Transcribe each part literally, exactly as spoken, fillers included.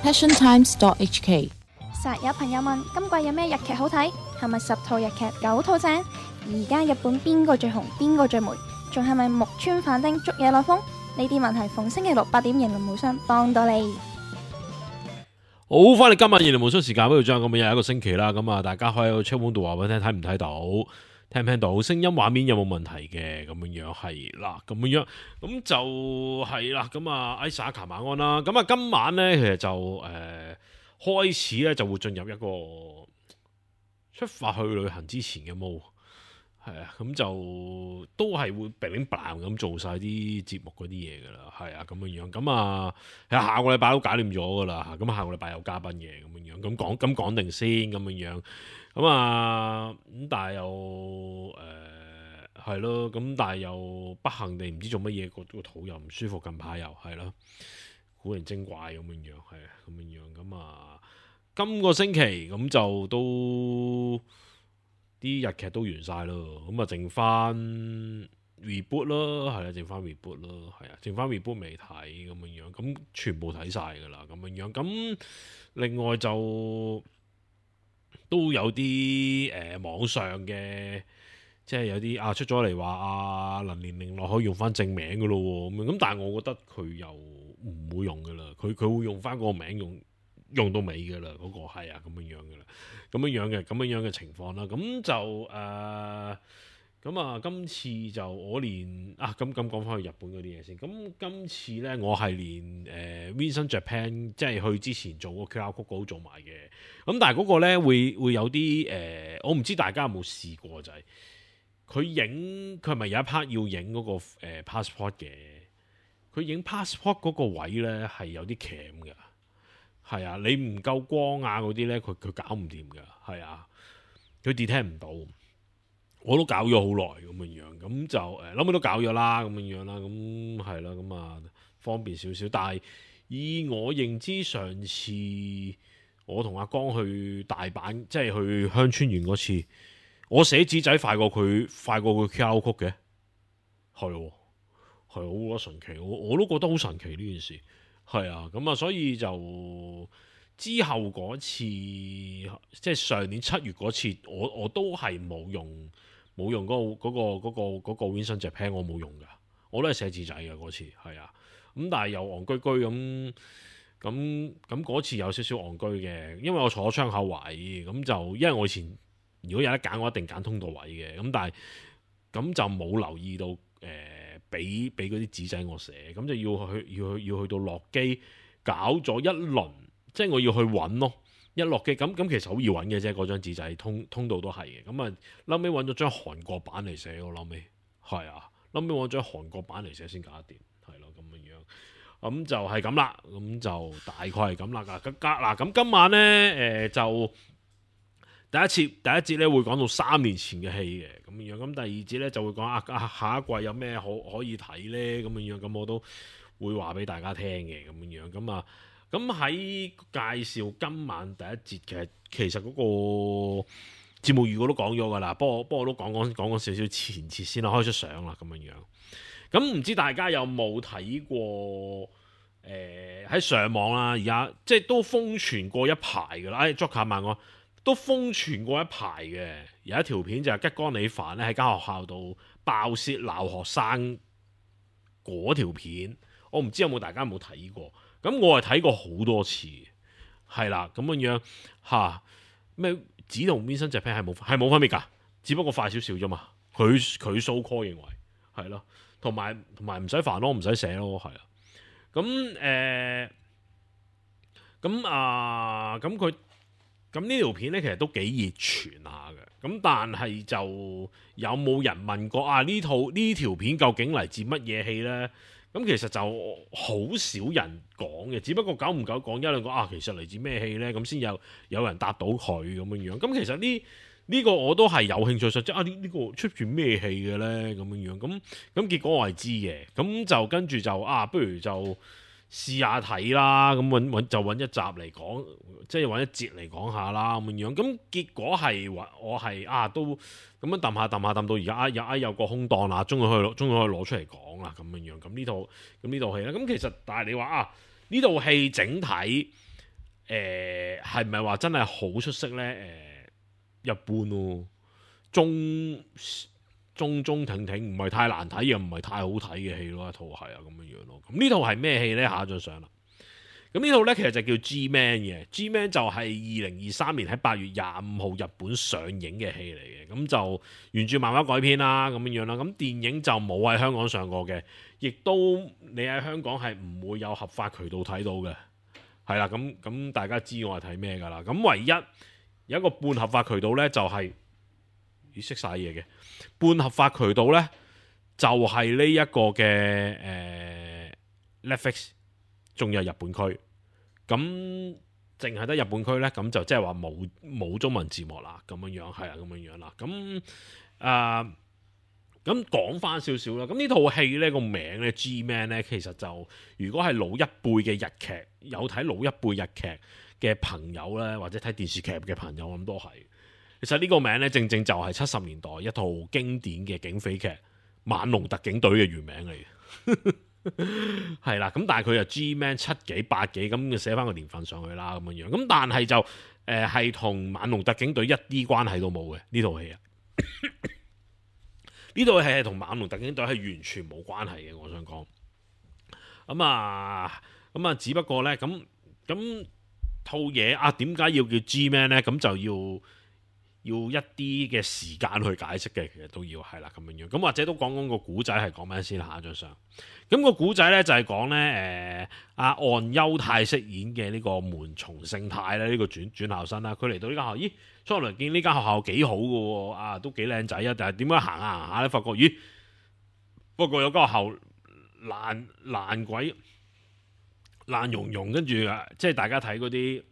passion times dot h k。 實有朋友問今季有咩日劇好睇，係咪十套日劇九套正？而家日本邊個最紅，邊個最霉？仲係咪木村反町捉野內風？呢啲問題逢星期六八點迎龍無雙幫到你。好，翻嚟今日迎龍無雙時間，不如將咁嘅又一個星期啦。咁啊，大家可以喺個 chat room 度話俾我聽，睇唔睇到，聽唔聽到，聲音畫面有冇問題嘅？咁樣樣係啦，咁樣樣咁就係啦。咁啊，艾莎卡晚安啦。咁啊，今晚咧其實就誒、呃、開始咧就會進入一個出發去旅行之前嘅 mode。係啊，咁就都係會 bling bling 咁做晒啲節目嗰啲嘢噶啦，係啊，咁樣樣，咁啊，下個禮拜都搞掂咗噶啦，咁下個禮拜有嘉賓嘅咁樣樣，咁講咁講定先咁樣樣，咁啊，咁但係又誒係咯，咁但係又不幸地唔知做乜嘢，個個肚又唔舒服，近排又係咯，古靈精怪咁樣樣，係啊，咁樣樣，咁啊，今個星期咁就都。啲日劇都完晒咯，咁啊剩翻 reboot 咯，係啊，剩翻 reboot 咯，係啊，剩翻 reboot 未睇咁樣樣，咁全部睇晒噶啦，咁樣樣，咁另外就都有啲誒、呃、網上嘅，即係有啲啊出咗嚟話啊林連玲落可以用翻正名噶咯喎，咁樣，咁但係我覺得佢又唔會用噶啦，佢佢會用翻嗰個名用。用到尾嘅啦，嗰、那個係啊咁樣樣嘅啦，咁樣樣嘅咁樣樣嘅情況啦，咁就誒，咁、呃、啊今次就我連啊咁咁講翻去日本嗰啲嘢先，咁今次咧我係連誒、呃、Vincent Japan 即係去之前做個 Q R code 都做埋嘅，咁但係嗰個咧會會有啲誒、呃，我唔知大家有冇試過就係佢影佢係咪有一 part 要影嗰、那個、呃、passport 嘅，佢影 passport 嗰個位咧係有啲鉗嘅。係啊，你唔夠光啊嗰啲咧，佢佢搞唔掂噶，係啊，佢 detect 唔到，我都搞咗好耐咁樣樣，咁就誒，諗、呃、都搞咗啦，咁樣樣啦，咁係啦，咁啊方便少少，但係以我認知，上次我同阿江去大阪，即係去香川縣嗰次，我寫紙仔快過佢，快過佢 Q R code 嘅，係喎、啊，係好神奇，我我都覺得好神奇呢件事。係啊，咁啊，所以就之後嗰次，即係上年七月嗰次，我我都係冇用冇用嗰、嗰個嗰、嗰個嗰、嗰個嗰個 Vincent Japan，我冇用噶，我都係寫字仔嘅嗰次，係啊，咁但係又戇居居咁咁咁嗰次有少少戇居嘅，因為我坐窗口位，咁就因為我以前如果有得揀，我一定揀通道位嘅，咁但係咁就冇留意到誒。呃俾俾嗰啲紙仔我寫，咁就要去要去要去到落機搞咗一輪，即係我要去揾咯。一落機咁咁其實好易揾嘅啫，嗰張紙仔通通道都係嘅。咁啊，後尾揾咗張韓國版嚟寫，我後尾係啊，後尾揾張韓國版嚟寫先搞得掂，係咯咁樣樣。咁就係咁啦，咁就大概係咁啦。咁嗱咁今晚咧誒、呃、就。第一次第一節咧會講到三年前嘅戲嘅咁樣，咁第二節咧就會講啊啊下一季有咩可可以睇咧咁樣，咁我都會話俾大家聽嘅咁樣，咁啊咁喺介紹今晚第一節嘅，其實嗰個節目預告都講咗噶啦，不過不過我都講講講講少少前設先啦，開出相啦咁樣樣。咁唔知大家有冇睇過？誒、呃、喺上網啦，而家即係都瘋傳過一排噶啦，誒 Joker 問我。都瘋傳過一排嘅，有一條片就係吉岡里帆咧喺間學校度爆泄鬧學生嗰條片，我唔知有冇大家有冇睇過，咁我係睇過好多次，係啦咁樣樣嚇咩？指同 Vincent Japan 係冇係冇分別㗎，只不過快少少啫嘛。佢佢 so call 認為係咯，同埋同埋唔使煩咯，唔使寫咯，係啊。咁誒咁啊咁佢。咁呢條片咧其實都幾熱傳下嘅，咁但係就有冇人問過啊？呢套呢條片究竟嚟自乜嘢戲呢？咁其實就好少人講嘅，只不過久唔久講一兩個啊，其實嚟自咩戲呢？咁先有有人答到佢咁樣樣。咁其實呢呢、呢個我都係有興趣，即係啊呢呢、呢個出住咩戲嘅呢？咁樣樣咁咁結果我係知嘅，咁就跟住就啊，不如就。試下睇啦，咁揾揾就揾一集嚟講，即係揾一節嚟講下啦咁樣。咁結果係話我係啊都咁樣揼下揼下揼到而家有啊有個空檔啦，終於可以攞終於可以攞出嚟講啦咁樣樣。咁呢套咁呢套戲咧，咁其實但係你話啊呢套戲整體誒係咪話真係好出色呢？誒、呃、一般咯，中中中挺挺，唔係太難睇又唔係太好睇嘅戲咯，一套係啊咁樣樣咯。咁呢套係咩戲呢？下一張相啦。咁呢套呢，其實就叫 G-Man 嘅 G-Man 就係二零二三年喺八月廿五號日本上映嘅戲嚟嘅。咁就原著漫畫改編啦，咁樣樣啦。咁電影就冇喺香港上過嘅，亦都你喺香港係唔會有合法渠道睇到嘅。係啦，咁咁大家知我係睇咩㗎啦？咁唯一有一個半合法渠道呢，就係咦識晒嘢嘅半合法渠道呢，就係呢一個嘅誒、呃、Netflix，仲有日本區。咁淨係得日本區呢，咁就即係話冇冇中文字幕啦，咁樣樣係啊，咁樣樣啦。咁啊，咁講翻少少啦。咁呢套戲呢個名呢 G-Man 呢，其實就如果係老一輩嘅日劇，有睇老一輩日劇嘅朋友呢，或者睇電視劇嘅朋友咁都係。其實呢個名呢，正正就係七十年代一套經典嘅警匪劇《猛龍特警隊》嘅原名嚟嘅。係啦，咁但係佢又 G-Man 七幾八幾咁，就寫翻個年份上去啦，咁樣樣。咁但係就誒係同猛龍特警隊一啲關係都冇嘅呢套戲啊。呢套戲係同猛龍特警隊係完全冇關係嘅，我想講。咁啊，咁啊，只不過咧，咁咁套嘢啊，點解要叫 G-Man 咧？咁就要要一啲嘅時間去解釋嘅，其實都要係啦，咁樣樣。咁或者都講講個古仔係講咩先，下一張相。咁個古仔咧就係講咧，誒阿岸優太飾演嘅呢個門松勝太咧，呢、呢個轉轉校生啦，佢嚟到呢間學校，咦，初嚟見呢間學校幾好嘅喎，啊都幾靚仔啊，但係點解行下行下咧，發覺咦，不過有間學校爛爛鬼爛溶溶，跟住啊，即係大家睇嗰啲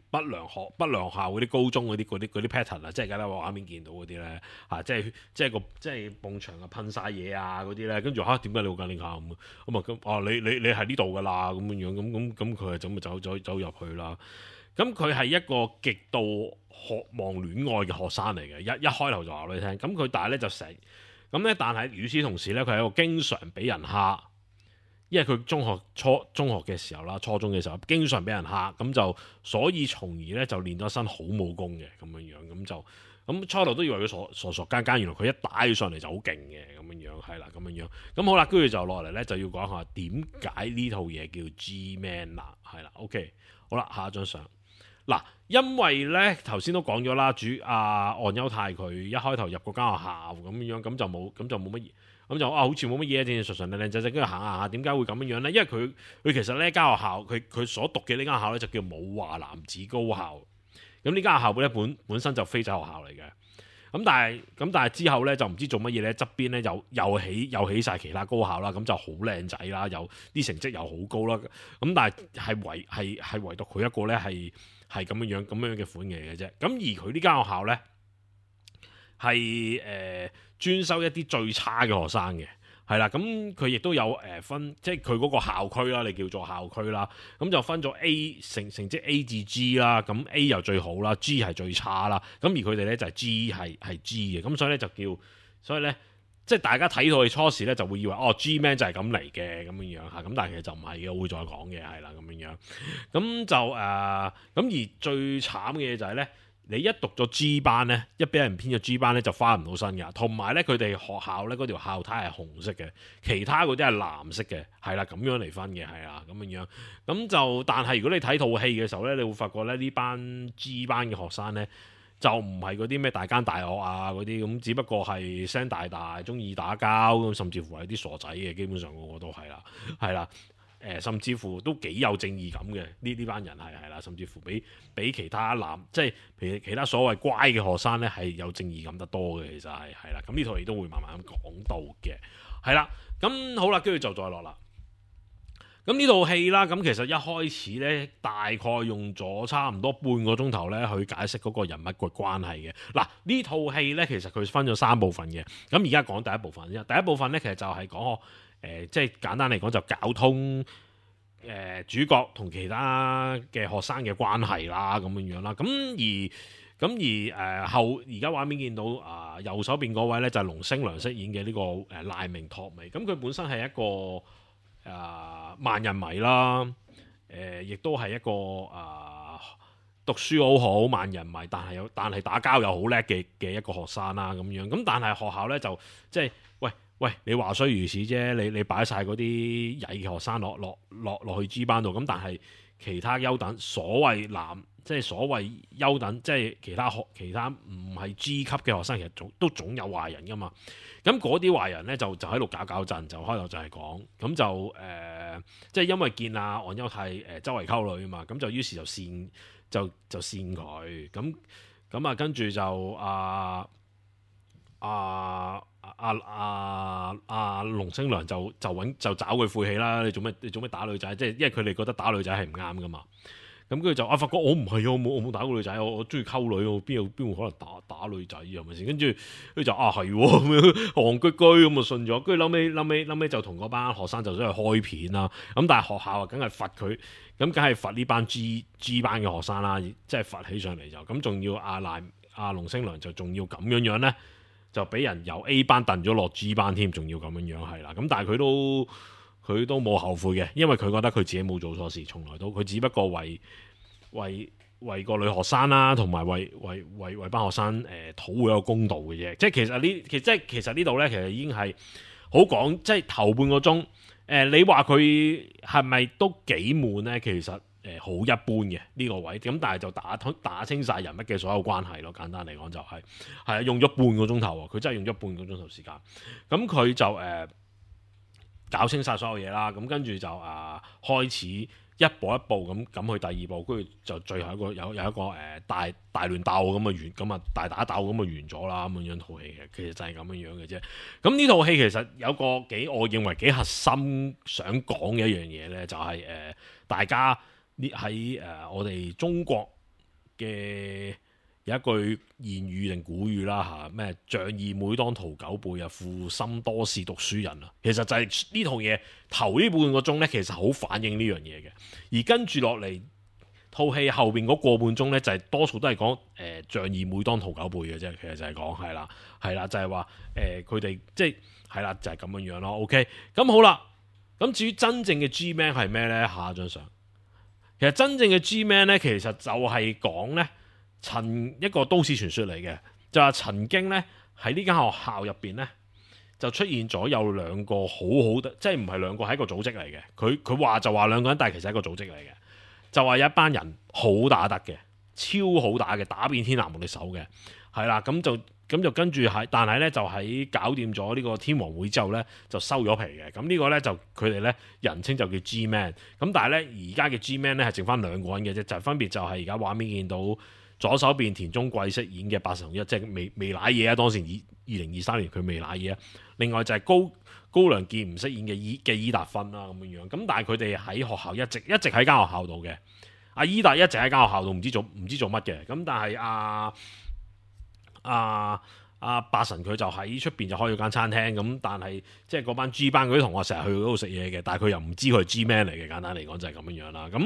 不良學不良校嗰啲高中嗰啲嗰啲嗰啲 pattern 啊，即係而家咧畫面見到嗰啲咧嚇，即係即係個即係埲牆啊噴晒嘢啊嗰啲咧，跟住嚇點解你會揀呢校咁咁啊咁哦你你你係呢度噶啦咁樣樣咁咁咁佢係咁啊走走走入去啦。咁佢係一個極度渴望戀愛嘅學生嚟嘅，一一開頭就話俾你聽。咁佢但係咧就成咁咧，但係與此同時咧，佢係一個經常俾人蝦。因為佢中學初中學嘅時候啦，初中嘅時候經常俾人蝦，咁就所以從而咧就練咗一身好武功嘅咁樣樣，咁就咁初頭都以為佢傻傻傻更更，原來佢一打起上嚟就好勁嘅咁樣樣，係啦咁樣樣，咁好啦，跟住就落嚟咧就要講下點解呢套嘢叫 G-Man 啦，係啦 ，OK， 好啦，下一張相嗱，因為咧頭先都講咗啦，主阿岸優太佢一開頭入嗰間學校咁樣樣，咁就冇咁就冇乜嘢。咁就啊，好似冇乜嘢，正正常常靚靚仔仔，跟住行下下，點解會咁樣樣咧？因為佢佢其實呢間學校，佢佢所讀嘅呢間學校咧就叫武華男子高校。咁呢間學校咧本本身就非仔學校嚟嘅。咁但係咁但係之後咧就唔知做乜嘢咧，側邊咧又又起又起曬其他高校啦，咁就好靚仔啦，又啲成績又好高啦。咁但係係唯係係唯獨佢一個咧係係咁樣樣咁樣嘅款嘅嘅啫。咁而佢呢間學校咧係誒。專收一啲最差嘅學生嘅，係啦，咁佢亦都有誒分，即係佢嗰個校區啦，你叫做校區啦，咁就分咗 A 成成績 A 至 G 啦，咁 A 又最好啦 ，G 係最差啦，咁而佢哋咧就係 G 係係 G 嘅，咁所以咧就叫，所以咧即係大家睇到佢初時咧就會以為哦 G-Man 就係咁嚟嘅咁樣樣嚇，咁但係其實就唔係嘅，我會再講嘅，係啦咁樣樣，咁就誒，咁、呃、而最慘嘅嘢就係咧。你一讀咗 G 班咧，一俾人編咗 G 班咧，就翻唔到身㗎。同埋咧，佢哋學校咧嗰條校呔係紅色嘅，其他嗰啲係藍色嘅，係啦，咁樣嚟分嘅，係啦，咁樣樣。咁就但係如果你睇套戲嘅時候咧，你會發覺咧呢班 G 班嘅學生咧，就唔係嗰啲咩大奸大惡啊嗰啲咁，只不過係聲大大，中意打交咁，甚至乎係啲傻仔嘅，基本上個個都係啦，係啦。誒，甚至乎都幾有正義感嘅，呢呢班人係係啦，甚至乎比比其他男，即係譬如其他所謂乖嘅學生咧，係有正義感得多嘅，其實係係啦。咁呢套戲都會慢慢咁講到嘅，係啦。咁好啦，跟住就再落啦。咁呢套戲啦，咁其實一開始咧，大概用咗差唔多半個鐘頭咧，去解釋嗰個人物嘅關係嘅。嗱，呢套戲咧，其實佢分咗三部分嘅。咁而家講第一部分啫，第一部分咧，其實就係講。誒、呃，即係簡單嚟講，就交通誒、呃、主角同其他嘅學生嘅關係啦，咁樣樣啦。咁而咁而誒、呃、後而家畫面見到啊、呃，右手邊嗰位咧就係、是、龍星良飾演嘅呢、這個誒、呃、賴明拓美。咁佢本身係一個誒、呃、萬人迷啦。誒亦都係一個啊、呃、讀書好好萬人迷，但係有但係打交又好叻嘅嘅一個學生啦咁樣。咁但係學校咧就即係喂喂，你話雖如此啫，你你擺晒嗰啲曳嘅學生落落落落去 G 班度，咁但係其他優等所謂男。即係所謂優等，即係其他學其他唔係 G 級嘅學生，其實總都總有壞人噶嘛。咁嗰啲壞人咧就就喺度搞搞震，就開頭就係講，咁就誒、呃，即係因為見阿岸優太誒周圍溝女啊嘛，咁就於是就扇就就扇佢，咁咁啊跟住就啊啊啊啊啊龍星良就就揾就找佢晦氣啦，你做咩你做咩打女仔？即係因為佢哋覺得打女仔係唔啱噶嘛。咁跟住就啊，發覺我唔係啊，我冇我冇打過女仔，我我中意溝女，我邊有邊會可能打打女仔係咪先？跟住佢就啊係咁樣戇居居咁啊信咗，跟住後尾後尾後尾就同嗰班學生就想去開片啦。咁但係學校啊，梗係罰佢，咁梗係罰呢班 G G 班嘅學生啦，即係罰起上嚟就咁，仲要阿賴阿龍星良就仲要咁樣樣咧，就俾人由 A 班掟咗落 G 班添，仲要咁樣樣係啦。咁但係佢都。佢都冇後悔嘅，因為佢覺得佢自己冇做錯事，從來都佢只不過為為為個女學生啦，同埋為為為為班學生誒、呃、討回一個公道嘅啫。即係其實呢，其即係其實呢度咧，其實已經係好講，即係頭半個鐘誒、呃，你話佢係咪都幾悶咧？其實誒好、呃、一般嘅呢、這個位，咁但係就打打清晒人物嘅所有關係咯。簡單嚟講就係係啊，用咗半個鐘頭喎，佢真係用咗半個鐘頭時間。咁佢就誒。呃搞清晒所有嘢啦，咁跟住就啊開始一步一步咁咁去第二步，跟住就最後一個有有一個誒、呃、大大亂鬥咁啊完，咁啊大打鬥咁啊完咗啦，咁樣樣套戲嘅，其實就係咁樣樣嘅啫。咁呢套戲其實有個幾我認為幾核心想講嘅一樣嘢咧，就係、是、誒、呃、大家呢喺誒我哋中國嘅。有一句諺語定古語啦嚇，咩仗義每當屠狗輩啊，負心多是讀書人啊。其實就係呢套嘢頭呢半個鐘咧，其實好反映呢樣嘢嘅。而跟住落嚟套戲後邊嗰個半鐘咧，就係、是、多數都係講誒仗義每當屠狗輩嘅啫。其實就係講係啦，係啦，就係話誒佢哋即係係啦，就係、是、咁樣樣咯。OK，咁好啦。咁至於真正嘅 G-Man 係咩咧？下一張相，其實真正嘅 G-Man 咧，其實就係講咧。曾一個都市傳說嚟嘅，就話曾經咧喺呢間學校入邊咧，就出現咗有兩個好好的，即係唔係兩個係一個組織嚟嘅。佢佢話就話兩個人，但係其實係一個組織嚟嘅。就話有一班人好打得嘅，超好打嘅，打遍天下無敵手嘅，係啦。咁就咁就跟住喺，但係咧就喺搞掂咗呢個天王會之後咧，就收咗皮嘅。咁呢個咧就佢哋咧人稱就叫 G-Man。咁但係咧而家嘅 G-Man 咧係剩翻兩個人嘅啫，就係、分別就係而家畫面見到。左手邊田中貴飾演嘅八神一，即係未未瀨嘢啊！當時二二零二三年佢未瀨嘢啊。另外就係高高良健唔飾演嘅伊嘅伊達芬啦咁樣樣。咁但係佢哋喺學校一直一直喺間學校度嘅。阿伊達一直喺間學校度，唔知做唔知做乜嘅。咁但係阿阿阿八神佢就喺出邊就開咗間餐廳。咁但係即係嗰班 G 班嗰啲同學成日去嗰度食嘢嘅，但係佢又唔知佢係 G-Man 嚟嘅。簡單嚟講就係咁樣樣啦。咁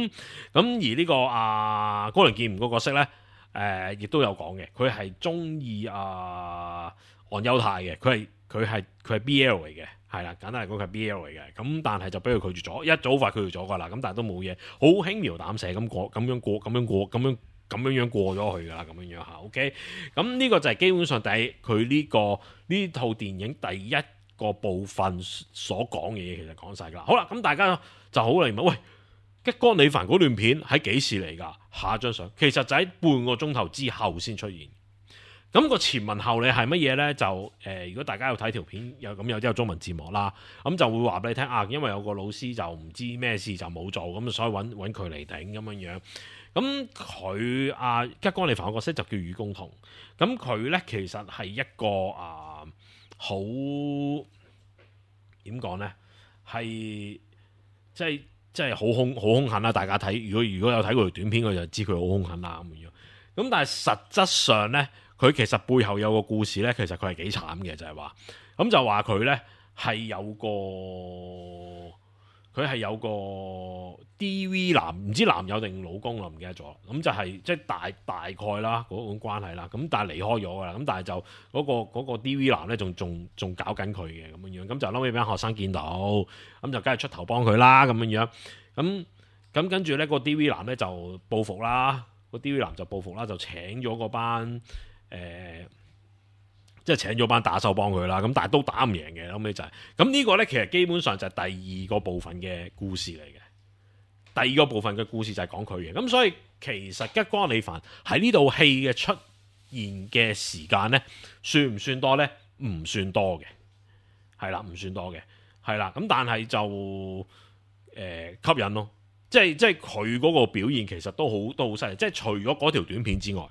咁而呢、這個阿、啊、高良健唔個角色咧。誒、呃，亦都有講嘅，佢係中意啊岸優太嘅，佢係佢係佢係 B L 嚟嘅，係啦，簡單嚟講佢係 B L 嚟嘅，咁但係就俾佢拒絕咗，一早快拒絕咗噶啦，咁但係都冇嘢，好輕描淡寫咁過，咁樣過，咁樣過，咁樣咁樣樣過咗去噶啦，咁樣樣嚇 ，OK，咁呢個就係基本上第佢呢、這個呢套電影第一個部分所講嘅嘢，其實講晒噶啦，好啦，咁大家就好嚟問，喂。吉岡里帆嗰段片喺幾時嚟㗎？下一張相其實就喺半個鐘頭之後先出現。咁、那個前文後理係乜嘢呢？就誒、呃，如果大家有睇條片，有咁有啲有中文字幕啦，咁就會話俾你聽啊。因為有個老師就唔知咩事就冇做，咁所以揾揾佢嚟頂咁樣樣。咁佢啊吉岡里帆嘅角色就叫雨宮同。咁佢呢，其實係一個啊好點講呢？係即係。即係好兇好兇狠啦！大家睇，如果如果有睇過條短片，佢就知佢好兇狠啦咁樣。咁但係實質上咧，佢其實背後有個故事咧，其實佢係幾慘嘅，就係話咁就話佢咧係有個佢係有個 D V 男，唔知男友定老公啦，唔記得咗。咁就係即係大大概啦嗰種關係啦。咁但係離開咗噶啦。咁但係就嗰個嗰個 D V 男咧，仲仲仲搞緊佢嘅咁樣樣。咁就後尾俾班學生見到，咁就梗係出頭幫佢啦咁樣樣。咁咁跟住咧個 D V 男咧就報復啦，個 D V 男就報復啦，就請咗嗰班誒、呃，即係請咗班打手幫佢啦。咁但係都打唔贏嘅，後尾就係咁呢個咧，其實基本上就係第二個部分嘅故事嚟嘅。第二個部分嘅故事就係講佢嘅。咁所以其實吉岡里帆喺呢套戲嘅出現嘅時間咧，算唔算多咧？唔算多嘅，係啦，唔算多嘅，係啦。咁但係就誒、呃、吸引咯。即係即係佢嗰個表現其實都好都好犀利，即係除咗嗰條短片之外，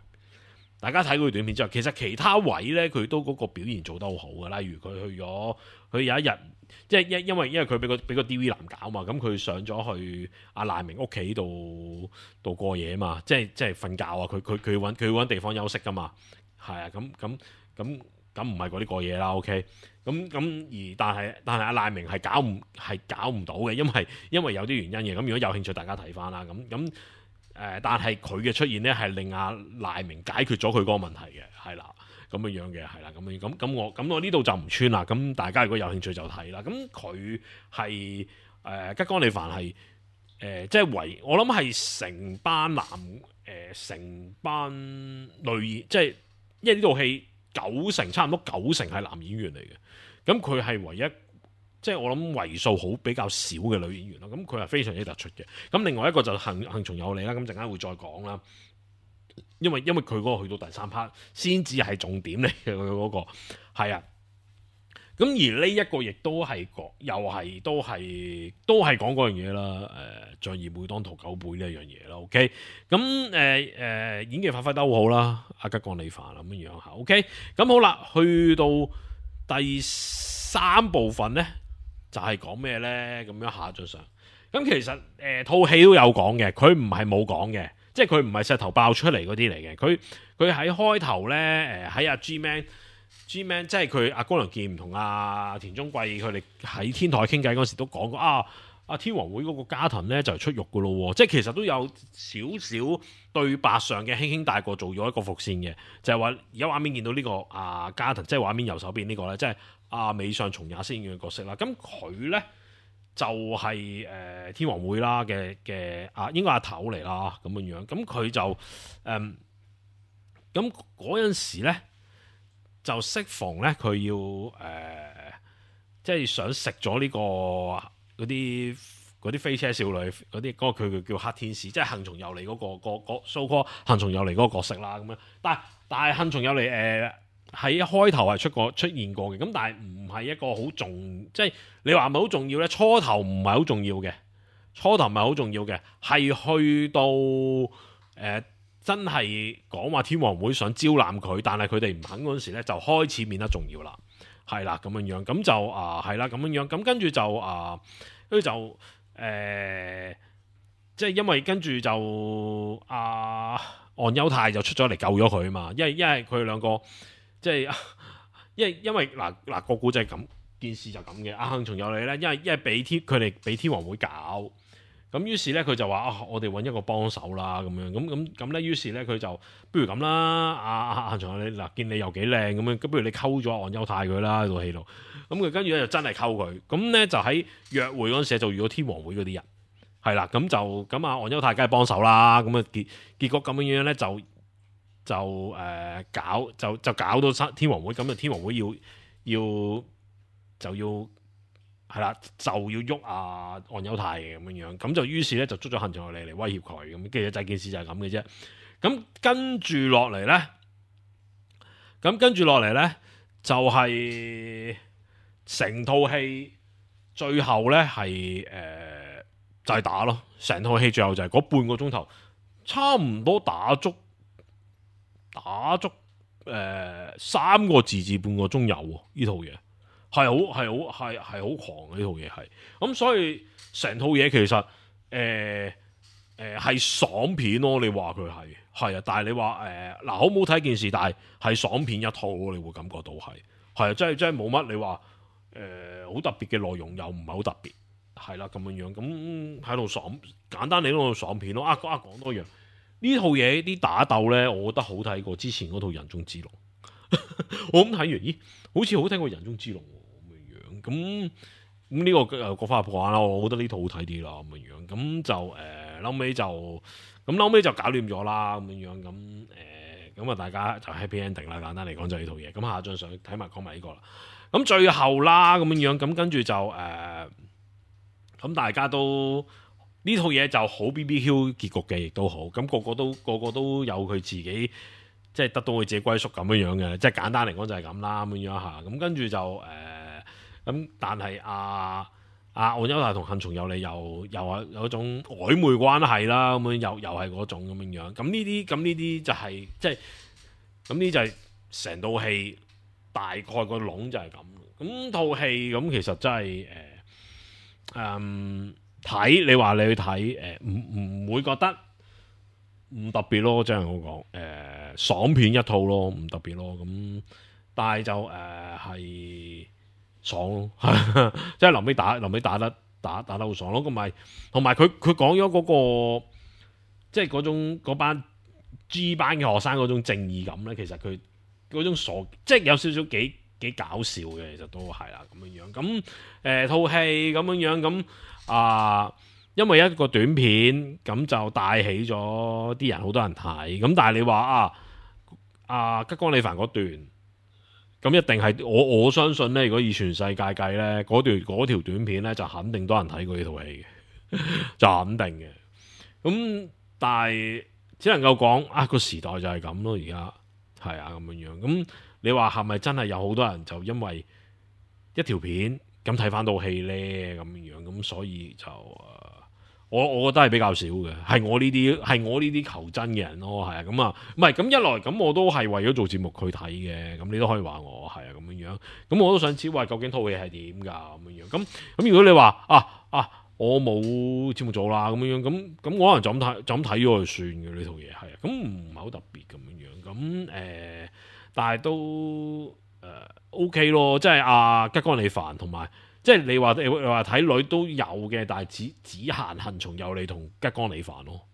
大家睇嗰條短片之外，其實其他位咧佢都嗰個表現做得好好嘅。例如佢去咗，佢有一日即係因因為因為佢俾個俾個 D V 男搞嘛，咁佢上咗去阿賴明屋企度度過夜嘛，即係即係瞓覺啊！佢佢佢揾佢揾地方休息噶嘛，係啊，咁咁咁咁唔係嗰啲過夜啦 ，OK。咁咁而但係但係阿賴明係搞唔係搞唔到嘅，因為因為有啲原因嘅。咁如果有興趣，大家睇翻啦。咁咁誒，但係佢嘅出現咧係令阿賴明解決咗佢嗰個問題嘅，係啦，咁樣樣嘅，係啦，咁樣咁咁我咁我呢度就唔穿啦。咁大家如果有興趣就睇啦。咁佢係誒吉岡里帆係誒即係為我諗係成班男誒成、呃、班女，即係因為呢套戲九成差唔多九成係男演員嚟嘅。咁佢係唯一，即係我諗為數好比較少嘅女演員啦。咁佢係非常之突出嘅。咁另外一個就幸幸從有你啦。咁陣間會再講啦。因為因為佢嗰個去到第三 part 先至係重點嚟嘅，佢嗰個係啊。咁而呢一個亦都係講，又係都係都係講嗰樣嘢啦。誒、呃，仗義每當屠狗輩呢一樣嘢啦。OK，咁誒誒演技發揮得好好啦。阿吉岡里帆咁樣樣嚇。OK，咁好啦，去到第三部分咧就係講咩咧？咁樣下咗上，咁其實誒套戲都有講嘅，佢唔係冇講嘅，即係佢唔係石頭爆出嚟嗰啲嚟嘅。佢佢喺開頭咧誒喺阿 G-Man G-Man 即係佢阿江良健唔同阿田中貴佢哋喺天台傾偈嗰時都講過啊。阿天皇會嗰個加藤咧就係出獄噶咯，即係其實都有少少對白上嘅輕輕帶過做咗一個伏線嘅，就係話而家畫面見到呢、這個阿加藤，即係畫面右手邊呢、這個咧，即係阿美上松也飾演嘅角色啦。咁佢咧就係、是、誒、呃、天皇會啦嘅嘅啊，應該阿頭嚟啦咁樣樣。咁佢就誒咁嗰陣時咧就適逢咧佢要誒、呃、即係想食咗呢個。嗰啲嗰啲飛車少女嗰啲嗰個佢叫黑天使，即係幸從有利嗰、嗰個、嗰個 so call 幸從有利嗰個角色啦咁樣。但係但係幸從有利誒喺一開頭係出過出現過嘅，咁但係唔係一個好重，即係你話係咪好重要咧？初頭唔係好重要嘅，初頭唔係好重要嘅，係去到誒、呃、真係講話天皇會想招攬佢，但係佢哋唔肯嗰陣時咧，就開始變得重要啦。係啦，咁樣樣，咁就啊，係啦，咁樣樣，咁跟住就啊，跟住就誒、呃，即係因為跟住就啊，岸優太就出咗嚟救咗佢啊嘛，因為因為佢哋兩個即係，因為因為嗱嗱個古仔咁，件事就咁嘅，阿幸從有利咧，因為因為俾天佢哋俾天皇會搞。咁於是咧，佢就話啊，我哋揾一個幫手啦，咁樣咁咁咁咧。於是咧，佢就不如咁啦，阿阿阿長你嗱，見你又幾靚咁樣，咁不如你溝咗岸優太佢啦喺套戲度。咁佢跟住咧就真係溝佢。咁咧就喺約會嗰陣時就遇到天皇會嗰啲人，係啦。咁就咁啊，岸優太梗係幫手啦。咁啊結結果咁樣樣咧就就誒、呃、搞就就搞到天皇會。咁啊天皇會要要就要。係啦，就要喐啊岸優太嘅咁樣樣，咁就於是咧就捉咗幸從有利嚟威脅佢，咁其實就件事就係咁嘅啫。咁跟住落嚟咧，咁跟住落嚟咧就係、是、成套戲最後咧係誒就係、是、打咯，成套戲最後就係嗰半個鐘頭，差唔多打足打足誒、呃、三個字至半個鐘有喎呢套嘢。係好係好係係好狂嘅呢套嘢係，咁所以成套嘢其實誒誒係爽片咯，你話佢係係啊，但係你話誒嗱好唔好睇件事，但係係爽片一套咯，你會感覺到係係啊，真係真係冇乜你話誒好特別嘅內容又唔係好特別，係啦咁樣樣，咁喺度爽簡單嚟講爽片咯。啊啊講多樣呢套嘢啲打鬥咧，我覺得好睇過之前嗰套《人中之龍》。我咁睇完，咦，好似好睇過《人中之龍》。咁咁呢個誒各花入各眼啦，我覺得呢套好睇啲啦咁樣樣，咁就誒係後尾就咁後尾就搞掂咗啦咁樣樣咁誒咁啊大家就 happy ending 啦，簡單嚟講就係呢套嘢。咁下張相睇埋講埋呢個啦。咁最後啦咁樣樣咁跟住就誒咁、呃、大家都呢套嘢就好 B B Q 結局嘅，亦都好咁個個都個個都有佢自己即係得到佢自己歸屬咁樣樣嘅，即係簡單嚟講就係咁啦咁樣嚇。咁跟住就誒咁、呃，但係阿阿岸優太同幸松有利又又係有一種曖昧關係啦，咁樣又又係嗰種咁樣樣。咁呢啲咁呢啲就係、是、即係咁呢就係成套戲大概個籠就係咁。咁套戲咁其實真係誒誒睇你話你去睇誒唔唔會覺得唔特別咯，即係我講誒爽片一套咯，唔特別咯。咁但係就誒係。呃爽咯，即係臨尾打臨尾打得打打得好爽咯，同埋同埋佢佢講咗嗰個即係嗰種嗰班 G 班嘅學生嗰種正義感咧，其實佢嗰種傻即係有少少幾幾搞笑嘅，其實都係啦咁樣樣。咁誒套戲咁樣樣咁啊，因為一個短片咁就帶起咗啲人，好多人睇。咁但係你話啊啊吉岡里帆嗰段。咁一定係我我相信咧，如果以全世界計咧，嗰段嗰條短片咧就肯定多人睇過呢套戲嘅，就肯定嘅。咁但係只能夠講啊，個時代就係咁咯，而家係啊咁樣樣。咁你話係咪真係有好多人就因為一條片咁睇翻套戲咧咁樣樣？咁所以就誒。我我覺得係比較少嘅，係我呢啲係我呢啲求真嘅人咯，係啊咁啊，唔係咁一來咁我都係為咗做節目去睇嘅，咁你都可以話我係啊咁樣樣，咁我都想知喂究竟套戲係點㗎咁樣樣，咁咁如果你話啊啊我冇節目做啦咁樣樣，咁咁我可能就咁睇就咁睇咗就算嘅呢套嘢係啊，咁唔係好特別咁樣樣，咁誒、呃、但係都誒、呃、OK 咯，即係阿吉岡里帆同埋。即係你話你話睇女都有嘅，但係只只限幸松有利同吉岡里帆咯，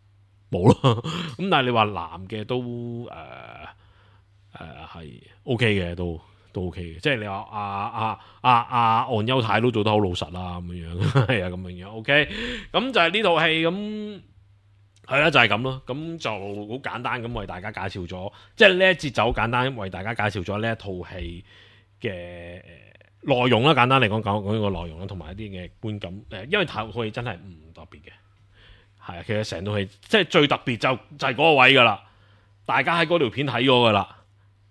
冇咯。咁但係你話男嘅都誒誒係 O K 嘅，都都 O K 嘅。即係你話阿阿阿阿岸優太都做得好老實啦，咁樣樣係啊，咁樣樣 O K。咁就係呢套戲咁係啦，就係咁咯。咁就好簡單咁為大家介紹咗，即係呢一節就好簡單為大家介紹咗呢一套戲嘅。內容啦，簡單嚟講講講呢個內容啦，同埋一啲嘅觀感。誒，因為套戲真係唔特別嘅，係啊，其實成套戲即係最特別就就係嗰個位噶啦。大家喺嗰條片睇咗噶啦，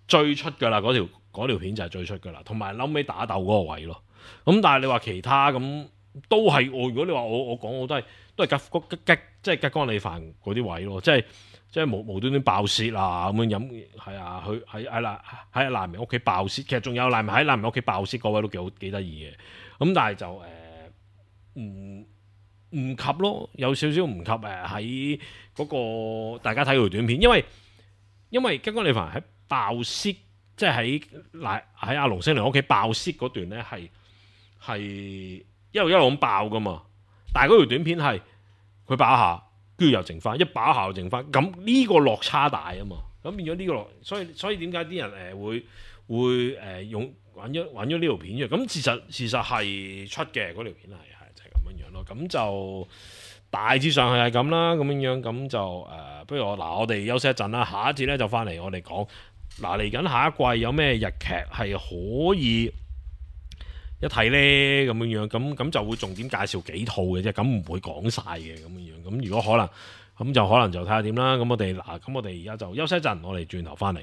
最出噶啦，嗰條嗰條片就係最出噶啦。同埋後尾打鬥嗰個位咯。咁但係你話其他咁都係我，如果你話我我講我都係都係吉吉吉即係吉岡里帆嗰啲位咯，即係。即係無無端端爆竊啊咁樣飲，係啊，佢喺喺難喺難民屋企爆竊，其實仲有難民喺難民屋企爆竊嗰位都幾好幾得意嘅。咁但係就誒唔唔及咯，有少少唔及誒喺嗰個大家睇條短片，因為因為吉岡里帆喺爆竊，即係喺嗱喺阿龍星良屋企爆竊嗰段咧係係一路一路咁爆噶嘛，但係嗰條短片係佢爆一下。跟住又剩翻，一把下又剩翻，咁呢個落差大啊嘛，咁變咗呢個落，所以所以點解啲人誒、呃、會會誒、呃、用揾咗揾咗呢條片嘅？咁事實事實係出嘅嗰條片係係就係、是、咁樣樣咯，咁就大致上係係咁啦，咁樣樣咁就誒、呃，不如我嗱我哋休息一陣啦，下一節咧就翻嚟我哋講嗱嚟緊下一季有咩日劇係可以一睇咧咁樣樣，咁咁就會重點介紹幾套嘅啫，咁唔會講晒嘅咁樣樣。咁如果可能，咁就可能就睇下點啦。咁我哋嗱，咁我哋而家就休息一陣，我哋轉頭翻嚟。